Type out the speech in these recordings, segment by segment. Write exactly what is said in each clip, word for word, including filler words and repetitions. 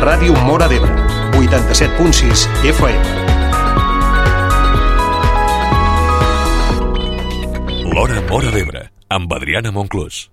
Ràdio Móra d'Ebre, vuitanta-set punt sis F M. L'Hora Móra d'Ebre, amb Adriana Monclús.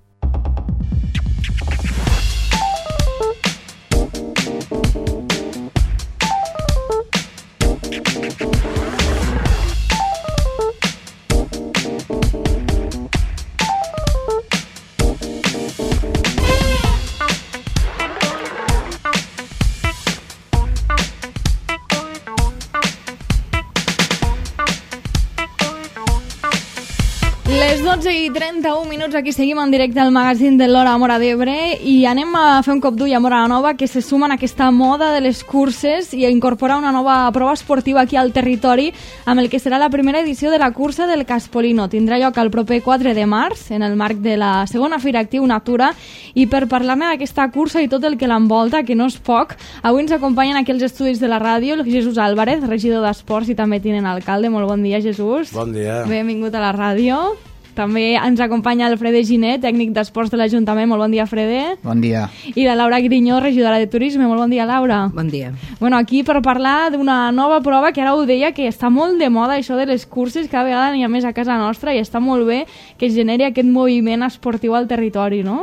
dotze i trenta-un minuts, aquí seguim en directe al magazín de l'Hora Móra d'Ebre i anem a fer un cop d'ull a Móra la Nova, que se sumen a aquesta moda de les curses i a incorporar una nova prova esportiva aquí al territori amb el que serà la primera edició de la cursa del Caspolino. Tindrà lloc el proper quatre de març en el marc de la segona Fira Actiu Natura, i per parlar-ne d'aquesta cursa i tot el que l'envolta, que no és poc, avui ens acompanyen aquí els estudis de la ràdio el Jesús Álvarez, regidor d'Esports i també tinent alcalde. Molt bon dia, Jesús. Bon dia. Benvingut a la ràdio. També ens acompanya el Frede Giner, tècnic d'Esports de l'Ajuntament. Molt bon dia, Frede. Bon dia. I la Laura Grinyó, regidora de Turisme. Molt bon dia, Laura. Bon dia. Bueno, aquí per parlar d'una nova prova que ara ho deia, que està molt de moda, això de les curses, cada vegada n'hi ha més a casa nostra i està molt bé que es generi aquest moviment esportiu al territori, no?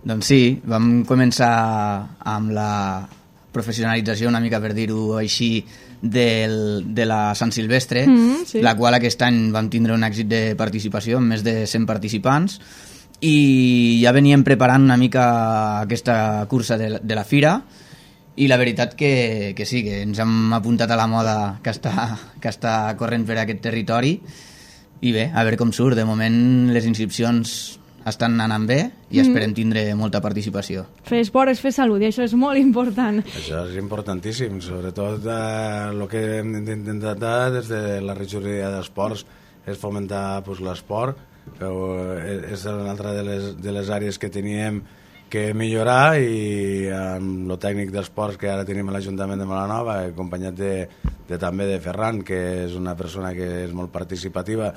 Doncs sí, vam començar amb la professionalització, una mica per dir-ho així, del, de la Sant Silvestre, mm, sí. La qual aquest any vam tindre un èxit de participació amb més de cent participants i ja veníem preparant una mica aquesta cursa de, de la Fira i la veritat que, que sí, que ens hem apuntat a la moda que està, que està corrent per aquest territori i bé, a veure com surt. De moment les inscripcions estan anant bé i esperem tindre molta participació. Fer esport és fer salut i això és molt important. Això és importantíssim, sobretot eh, el que hem d'intentar des de la regidoria d'Esports és fomentar pues, l'esport, però és una altra de les, de les àrees que teníem que millorar i amb el tècnic d'esports que ara tenim a l'Ajuntament de Molanova, acompanyat de, de, també de Ferran, que és una persona que és molt participativa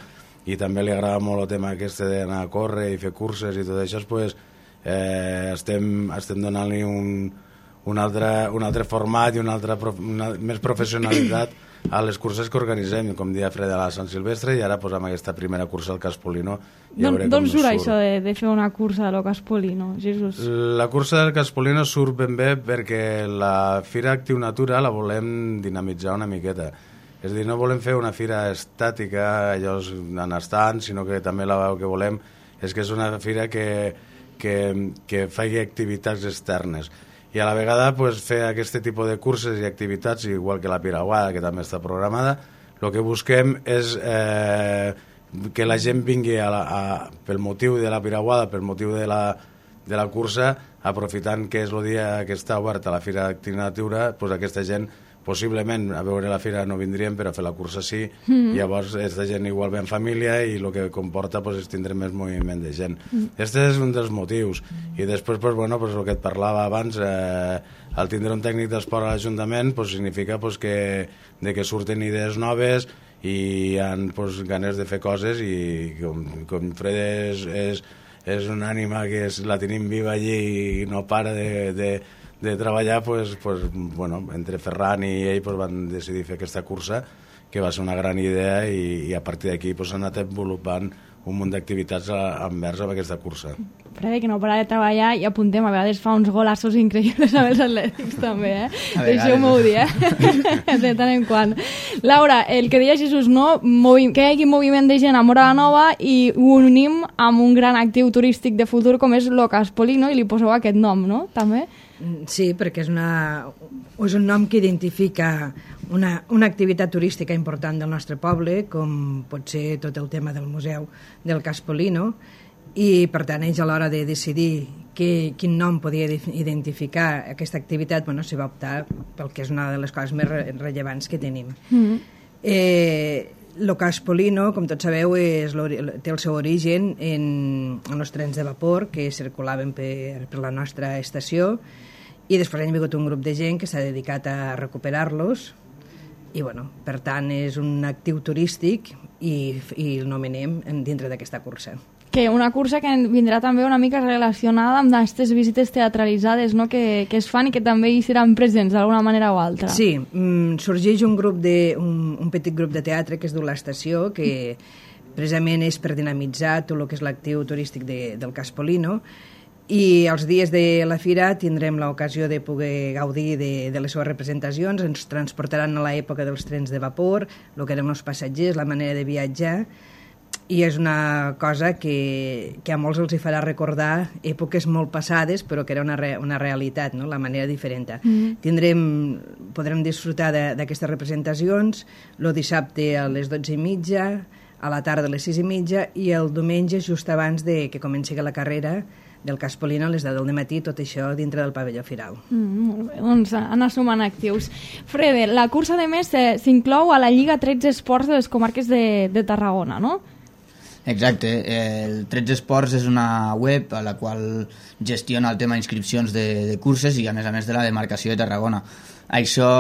i també li agrada molt el tema aquest d'anar a córrer i fer curses i tot això, pues, eh, estem, estem donant-li un, un, altre, un altre format i una altra prof, una, més professionalitat a les curses que organitzem, com dia Fred de la Sant Silvestre, i ara pues, amb aquesta primera cursa al Caspolino. Ja D'on surt, surt això de, de fer una cursa del Caspolino, Jesús? La cursa del Caspolino surt ben bé perquè la Fira Actiu Natura la volem dinamitzar una miqueta. És a dir, no volem fer una fira estàtica, allò en estant, sinó que també la que volem és que és una fira que, que, que faci activitats externes. I a la vegada pues, fer aquest tipus de curses i activitats, igual que la Piraguada, que també està programada, el que busquem és eh, que la gent vingui a la, a, pel motiu de la Piraguada, pel motiu de la, de la cursa, aprofitant que és el dia que està oberta la Fira Actiu Natura, pues, aquesta gent possiblement a veure la fira no vindrien, però a fer la cursa sí, mm. llavors aquesta gent igual ve en família i el que comporta pues, és tindre més moviment de gent. Mm. Este és un dels motius. I després, pues, bueno, pues, el que et parlava abans, eh, al tindre un tècnic d'esport a l'Ajuntament pues, significa pues, que, de que surten idees noves i hi ha pues, ganes de fer coses i com, com Fred és, és, és una ànima que és, la tenim viva allí i no para de... de de treballar, pues, pues, bueno, entre Ferran i ell pues, van decidir fer aquesta cursa, que va ser una gran idea i, i a partir d'aquí pues, s'ha anat desenvolupant un munt d'activitats envers amb aquesta cursa. Frede, que no para de treballar i apuntem, a vegades fa uns golassos increïbles amb els atlètics també, eh? Deixeu-m'ho dir, eh? De tant en quant. Laura, el que deia Jesús, no? Movi- que hi hagi moviment de gent a Móra la Nova i ho unim amb un gran actiu turístic de futur com és el Caspolino i li poseu aquest nom, no? També? Sí, perquè és, una, és un nom que identifica una, una activitat turística important del nostre poble, com pot ser tot el tema del museu del Caspolino, i per tant ells a l'hora de decidir que, quin nom podia identificar aquesta activitat, bueno, s'hi va optar pel que és una de les coses més re rellevants que tenim. Mm-hmm. eh, el Caspolino, com tots sabeu, és té el seu origen en, en els trens de vapor que circulaven per, per la nostra estació, i després han vingut un grup de gent que s'ha dedicat a recuperar-los i, bueno, per tant, és un actiu turístic i, i el nomenem dintre d'aquesta cursa. Que que una cursa que vindrà també una mica relacionada amb aquestes visites teatralitzades, no?, que, que es fan i que també hi seran presents d'alguna manera o altra. Sí, mm, sorgeix un grup de, un, un petit grup de teatre que es diu l'Estació, que precisament és per dinamitzar tot el que és l'actiu turístic de, del Caspolino, i els dies de la fira tindrem l'ocasió de poder gaudir de, de les seves representacions. Ens transportaran a l'època dels trens de vapor, el que eren els passatgers, la manera de viatjar, i és una cosa que, que a molts els hi farà recordar èpoques molt passades, però que era una, re, una realitat, no?, la manera diferent. Mm. Tindrem, podrem disfrutar d'aquestes representacions el dissabte a les dotze i mitja, a la tarda a les sis i mitja, i el diumenge just abans de que comenci la carrera del Caspolino a les deu del matí, tot això dintre del pavelló firal. Mm, molt bé, doncs anar sumant actius. Frede, la cursa de més s'inclou a la Lliga tretze Esports de les comarques de, de Tarragona, no? Exacte, el tretze Esports és una web a la qual gestiona el tema d'inscripcions de, de curses i a més a més de la demarcació de Tarragona. Això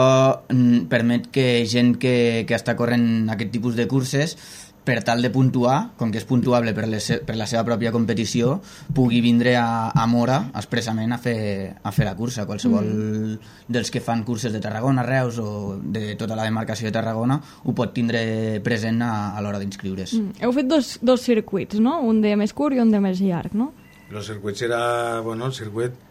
permet que gent que, que està corrent aquest tipus de curses, per tal de puntuar, com que és puntuable per, les, per la seva pròpia competició, pugui vindre a, a Mora expressament a fer, a fer la cursa. Qualsevol mm. dels que fan curses de Tarragona, Reus o de tota la demarcació de Tarragona ho pot tindre present a, a l'hora d'inscriure's. Mm. Heu fet dos, dos circuits, no? Un de més curt i un de més llarg, no? El circuit era, bueno, el circuit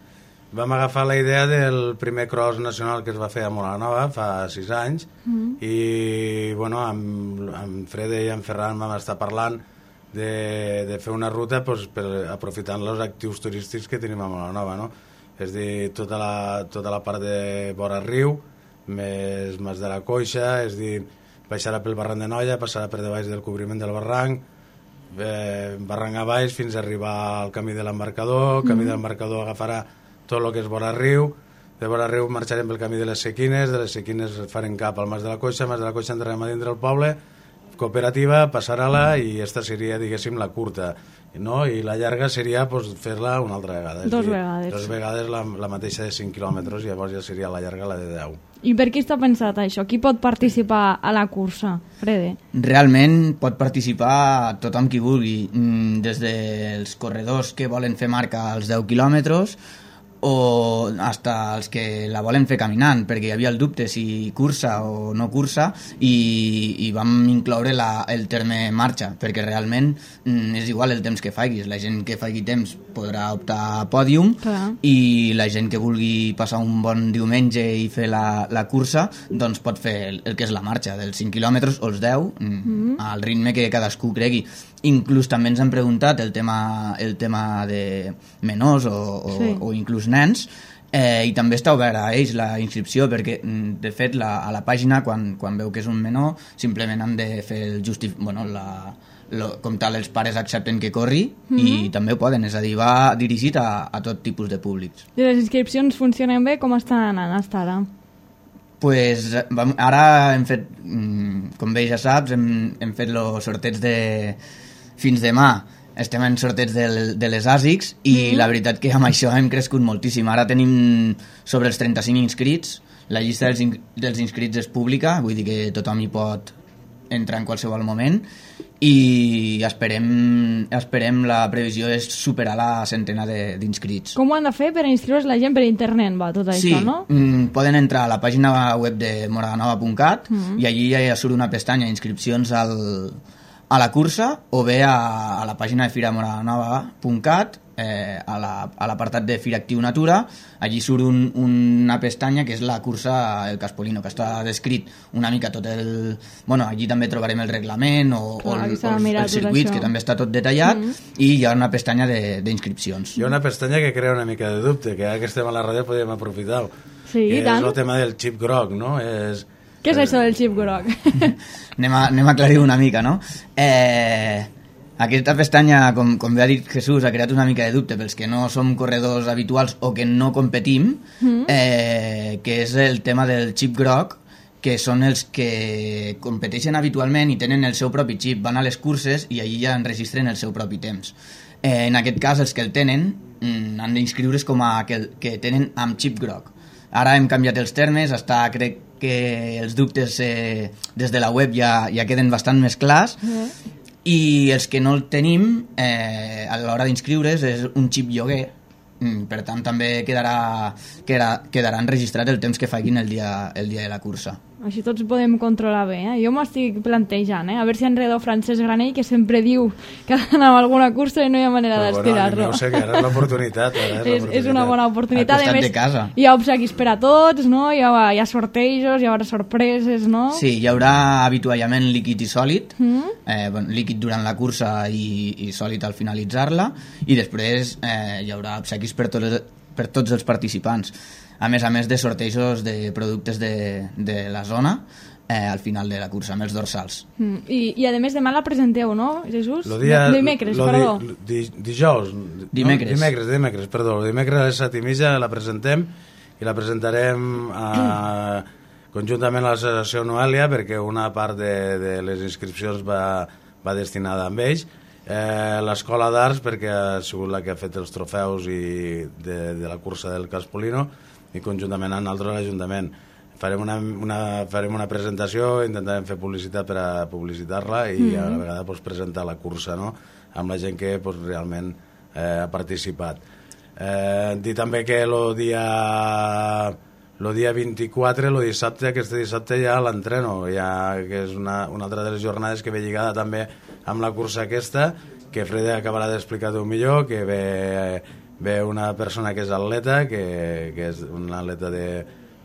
vam agafar la idea del primer cross nacional que es va fer a Molanova fa sis anys mm. i bueno, amb, amb Frede i amb Ferran vam estar parlant de, de fer una ruta pues, per, aprofitant els actius turístics que tenim a Molanova, no? És dir, tota la, tota la part de vora riu més Mas de la Coixa, és dir, baixarà pel barranc de Noia, passarà per debaix del cobriment del barranc, eh, barranc a baix fins a arribar al camí de l'embarcador, el camí mm. de l'embarcador agafarà tot el que és vora riu, de vora riu marxarem pel camí de les Sequines, de les Sequines farem cap al Mas de la Coixa, Mas de la Coixa entrarem a dintre del poble, cooperativa, passar-la i esta seria, diguéssim, la curta, no? I la llarga seria pues, fer-la una altra vegada. Dos dir, vegades. Dos vegades la, la mateixa de cinc quilòmetres i llavors ja seria la llarga la de deu. I per qui està pensat això? Qui pot participar a la cursa, Frede? Realment pot participar tothom qui vulgui, des dels corredors que volen fer marca als deu quilòmetres o hasta els que la volen fer caminant, perquè hi havia el dubte si cursa o no cursa i, i vam incloure la, el terme marxa, perquè realment mm, és igual el temps que faiguis, la gent que faigui temps podrà optar a pòdium. Clar. I la gent que vulgui passar un bon diumenge i fer la, la cursa doncs pot fer el, el que és la marxa dels cinc quilòmetres o els deu, mm, mm. al ritme que cadascú cregui. Inclús també ens han preguntat el tema, el tema de menors o, o, sí. o inclús nens, eh, i també està obert a ells la inscripció, perquè de fet la, a la pàgina quan, quan veu que és un menor simplement han de fer el justif... bueno, la, lo, com tal els pares accepten que corri mm-hmm. i també ho poden, és a dir, va dirigit a, a tot tipus de públics. I les inscripcions funcionen bé? Com estan anant hasta ara? Pues, vam, ara hem fet, com bé ja saps, hem, hem fet els sorteig de fins demà. Estem en sorteig de, de les A S I Cs i mm-hmm. la veritat que amb això hem crescut moltíssim. Ara tenim sobre els trenta-cinc inscrits, la llista dels, in, dels inscrits és pública, vull dir que tothom hi pot entrar en qualsevol moment i esperem, esperem la previsió és superar la centena d'inscrits. Com ho han de fer per inscriure's la gent per internet, va, tot sí, això, no? Sí, poden entrar a la pàgina web de moradanova punt cat mm-hmm. i allí ja surt una pestanya inscripcions al a la cursa o bé a, a la pàgina de fira moradanova punt cat, eh, a l'apartat la, de Fira Actiu Natura. Allí surt un, una pestanya que és la cursa El Caspolino, que està descrit una mica tot el... Bueno, allí també trobarem el reglament o, Clar, o, el, o el, el circuit, que també està tot detallat, mm-hmm. i hi ha una pestanya d'inscripcions. Hi ha una pestanya que crea una mica de dubte, que ara que estem a la ràdio podríem aprofitar. Sí, que tant. És el tema del xip groc, no? És... Què és això del xip groc? anem, a, anem a aclarir una mica, no? Eh, aquesta pestanya, com, com bé ha dit Jesús, ha creat una mica de dubte pels que no som corredors habituals o que no competim, mm. eh, que és el tema del xip groc, que són els que competeixen habitualment i tenen el seu propi xip, van a les curses i allí ja enregistren el seu propi temps. Eh, en aquest cas, els que el tenen mm, han d'inscriure's com a que, que tenen amb xip groc. Ara hem canviat els termes, està, crec que els dubtes eh, des de la web ja, ja queden bastant més clars, mm. i els que no el tenim eh, a l'hora d'inscriure's és un xip lloguer. Mm, per tant també quedarà, quedarà, quedarà enregistrat el temps que facin el dia, el dia de la cursa. Així tots podem controlar bé, eh? Jo m'estic plantejant, eh? A veure si enredo Francesc Granell, que sempre diu que ha d'anar a alguna cursa i no hi ha manera d'estirar-lo. Bueno, no sé, que ara és l'oportunitat. és, és una bona oportunitat. Al costat de casa. Hi ha obsequis per a tots, no? Hi ha, hi ha sortejos, hi haurà sorpreses, no? Sí, hi haurà avituallament líquid i sòlid, mm. eh, bueno, líquid durant la cursa i, i sòlid al finalitzar-la, i després eh, hi haurà obsequis per, tot, per tots els participants. A més a més de sortejos de productes de, de la zona eh, al final de la cursa, amb els dorsals. Mm. I, I a més demà la presenteu, no, Jesús? Lo dia, de, dimecres, lo perdó. Di, di, dijous. Dimecres. No, dimecres, dimecres, perdó. Dimecres a les set i mitja la presentem i la presentarem a, conjuntament a l'associació Noelia, perquè una part de, de les inscripcions va, va destinada amb ells. Eh, l'escola d'arts, perquè ha sigut la que ha fet els trofeus i de, de la cursa del Caspolino, i conjuntament amb nosaltres l'Ajuntament. Farem una, una, farem una presentació, intentarem fer publicitat per a publicitar-la i mm-hmm. a la vegada pues, presentar la cursa, no?, amb la gent que pues, realment eh, ha participat. Eh, dir també que el dia, el dia vint-i-quatre, el dissabte, aquest dissabte ja l'entreno, ja, que és una, una altra de les jornades que ve lligada també amb la cursa aquesta, que Freda acabarà d'explicar-ho millor, que ve... ve una persona que és atleta, que, que és una atleta de,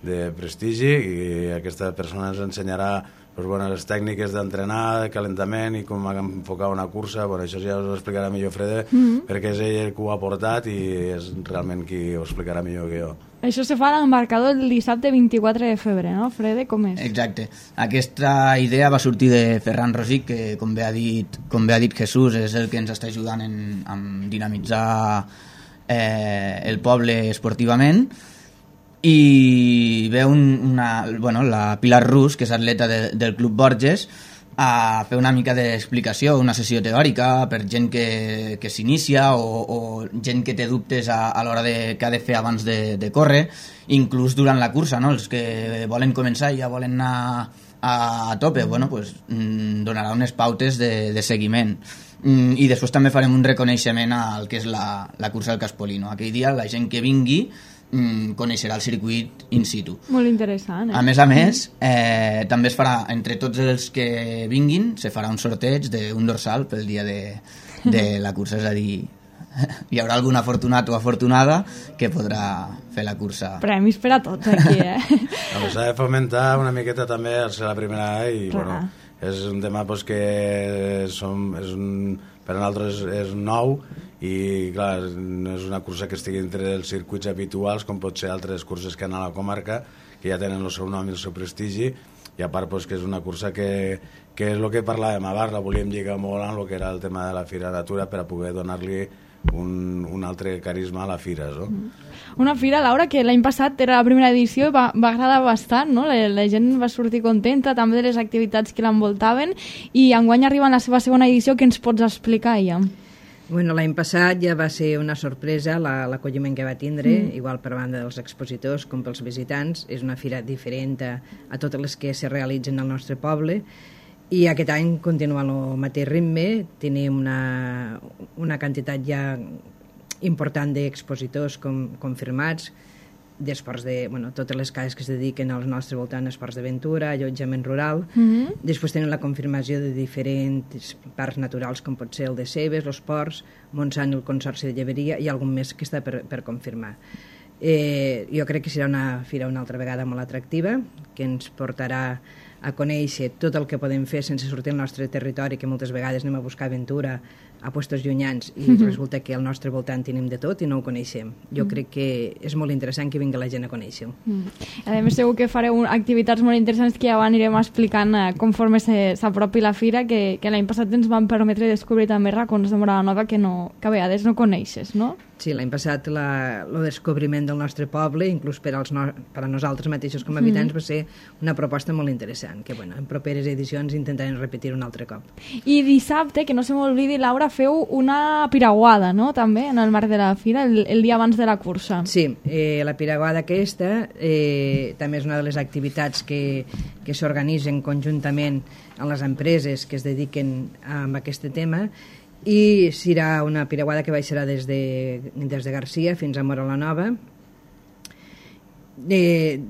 de prestigi, i aquesta persona ens ensenyarà pues, bueno, les tècniques d'entrenar, de calentament i com enfocar una cursa. Bueno, això ja us ho explicarà millor Freda, mm-hmm. perquè és ell que ho ha portat i és realment qui ho explicarà millor que jo. Això se fa a l'embarcador el dissabte vint-i-quatre de febrer, no, Freda? Com és? Exacte. Aquesta idea va sortir de Ferran Rosic, que com bé ha dit, com bé ha dit Jesús, és el que ens està ajudant en, en dinamitzar Eh, el poble esportivament, i ve un, una, bueno, la Pilar Rus, que és atleta de, del Club Borges, a fer una mica d'explicació, una sessió teòrica per gent que, que s'inicia o, o gent que té dubtes a, a l'hora de, que ha de fer abans de, de córrer, inclús durant la cursa, no? Els que volen començar i ja volen anar a, a tope, bueno, pues, donarà unes pautes de, de seguiment. Mm, i després també farem un reconeixement al que és la, la cursa del Caspolino. Aquell dia la gent que vingui mm, coneixerà el circuit in situ. Molt interessant, eh? A més a més, eh, també es farà, entre tots els que vinguin, se farà un sorteig d'un dorsal pel dia de, de la cursa, és a dir, hi haurà algun afortunat o afortunada que podrà fer la cursa. Premis per a tots aquí, eh? S'ha de fomentar una miqueta també al ser la primera i, clar, bueno, és un tema pues, que som, és un, per a nosaltres és nou i clar, no és una cursa que estigui entre els circuits habituals com pot ser altres curses que han a la comarca, que ja tenen el seu nom i el seu prestigi, i a part pues, que és una cursa que, que és el que parlàvem abans, la volíem lligar molt amb el que era el tema de la Fira Natura per a poder donar-li un, un altre carisma a la fira, no? Una fira, Laura, que l'any passat era la primera edició i va, va agradar bastant, no? La, la gent va sortir contenta també de les activitats que l'envoltaven, i enguany arriba en la seva segona edició. Què ens pots explicar, ja? Bueno, l'any passat ja va ser una sorpresa l'acolliment que va tindre, mm. igual per banda dels expositors com pels visitants. És una fira diferent a, a totes les que se realitzen al nostre poble, i aquest any continua el mateix ritme. Tenim una, una quantitat ja important d'expositors com, confirmats, d'esports de, bueno, totes les cases que es dediquen al nostre voltant, esports d'aventura, allotjament rural. Mm-hmm. Després tenim la confirmació de diferents parcs naturals, com pot ser el de Cebes, els Ports, Montsant, el Consorci de Lleberia, i algun més que està per, per confirmar. Eh, jo crec que serà una fira una altra vegada molt atractiva, que ens portarà a conèixer tot el que podem fer sense sortir del nostre territori, que moltes vegades anem a buscar aventura a puestos llunyans i mm-hmm. resulta que al nostre voltant tenim de tot i no ho coneixem. Jo mm. crec que és molt interessant que vingui la gent a conèixer-ho. Mm. A més, segur que fareu activitats molt interessants que ja anirem explicant eh, conforme s'apropi la fira, que, que l'any passat ens van permetre descobrir també racons de Móra la Nova que, no, que a vegades no coneixes, no? Sí, l'any passat la, el descobriment del nostre poble, inclús per, als no, per a nosaltres mateixos com a habitants, mm. va ser una proposta molt interessant, que bueno, en properes edicions intentarem repetir un altre cop. I dissabte, que no se m'oblidi, Laura, feu una piraguada, no?, també, en el marc de la fira, el, el dia abans de la cursa. Sí, eh, la piraguada aquesta eh, també és una de les activitats que, que s'organitzen conjuntament amb les empreses que es dediquen a aquest tema, i serà una piraguada que baixarà des de, des de Garcia fins a Móra la Nova. Eh,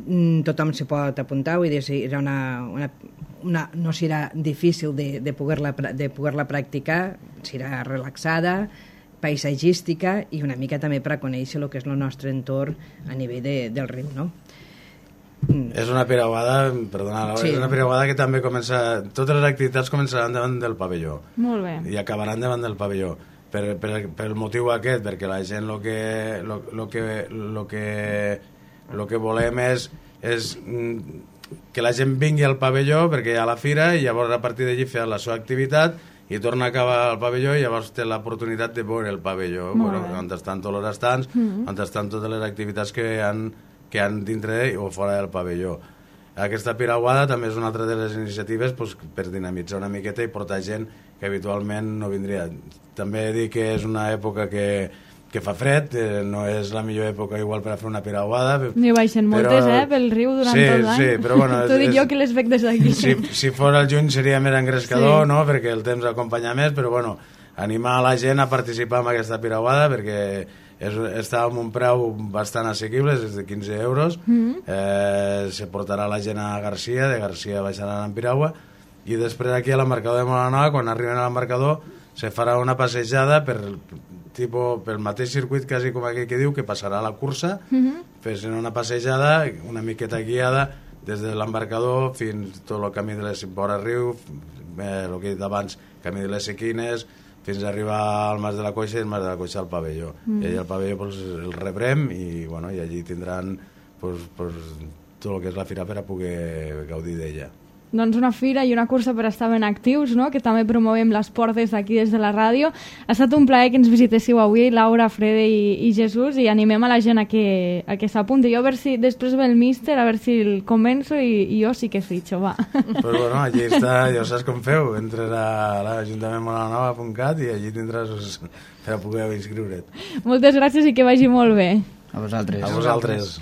tothom s'hi pot apuntar, vull dir, serà una, una, una, no serà difícil de, de poder-la de poder-la practicar, serà relaxada, paisatgística i una mica també per a conèixer el que és el nostre entorn a nivell de, del riu, no? Mm. És una piraguada, perdona, sí. És una piraguada que també comença, totes les activitats començaran davant del pavelló. Molt bé. I acabaran davant del pavelló. Per, per, per el motiu aquest, perquè la gent el que, lo, lo que, lo que, lo que volem és, és que la gent vingui al pavelló perquè hi ha la fira i llavors a partir d'allí fer la seva activitat i torna a acabar al pavelló i llavors té l'oportunitat de veure el pavelló, bueno, on estan tots els estants, mm-hmm. on estan totes les activitats que han que han dintre o fora del pavelló. Aquesta piraguada també és una altra de les iniciatives pues, per dinamitzar una miqueta i portar gent que habitualment no vindria. També dic que és una època que, que fa fred, eh, no és la millor època igual per a fer una piraguada. N'hi baixen moltes, però... eh, pel riu durant sí, tot l'any. Sí, però bueno... T'ho dic jo que les veig des d'aquí. Si, si fos el juny seria més engrescador, sí. No?, perquè el temps acompanya més, però bueno, animar la gent a participar en aquesta piraguada perquè és, està amb un preu bastant assequible, és de quinze euros, mm-hmm. eh, se portarà la gent a Garcia, de Garcia baixaran en piragua, i després aquí a l'embarcador de Molanova, quan arriben a l'embarcador, se farà una passejada per, tipo, pel mateix circuit, quasi com aquell que diu, que passarà a la cursa, mm-hmm. fes una passejada, una miqueta guiada, des de l'embarcador fins tot el camí de les Vora Riu, eh, el que he dit abans, camí de les Sequines, fins a arribar al Mas de la Coixa i el Mas de la Coixa al pavelló. Mm. I allà al pavelló pues, el rebrem i, bueno, i allí tindran pues, pues, tot el que és la fira per a poder gaudir d'ella. Doncs una fira i una cursa per estar ben actius, no?, que també promovem l'esport des d'aquí, des de la ràdio. Ha estat un plaer que ens visitéssiu avui, Laura, Frede i, i Jesús, i animem a la gent a que, a que s'apunti. Jo a veure si després ve el míster, a veure si el convenço i, i jo sí que fitxo, va. Pues bueno, allí està, ja saps com feu, entres a l'Ajuntament molanova punt cat i allí tindràs per a poder inscriure't. Moltes gràcies i que vagi molt bé. A vosaltres. A vosaltres.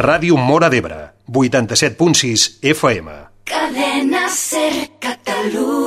Ràdio Móra d'Ebre, vuitanta-set punt sis F M. Cadena Ser Catalunya.